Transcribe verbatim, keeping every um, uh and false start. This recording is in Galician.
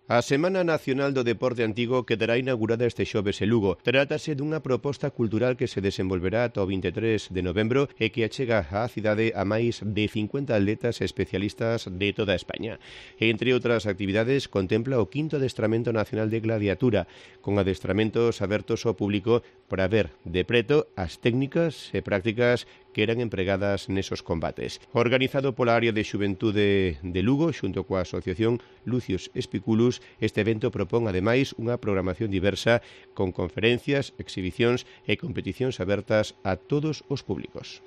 A Semana Nacional do Deporte Antigo quedará inaugurada este xoves en Lugo. Trátase dunha proposta cultural que se desenvolverá ata o vinte e tres de novembro e que achega á cidade a máis de cincuenta atletas especialistas de toda España. Entre outras actividades, contempla o quinto adestramento nacional de gladiatura, con adestramentos abertos ao público para ver de preto as técnicas e prácticas que eran empregadas nesos combates. Organizado pola área de xuventude de Lugo, xunto coa asociación Lucius Espiculus, este evento propón, ademais, unha programación diversa con conferencias, exhibicións e competicións abertas a todos os públicos.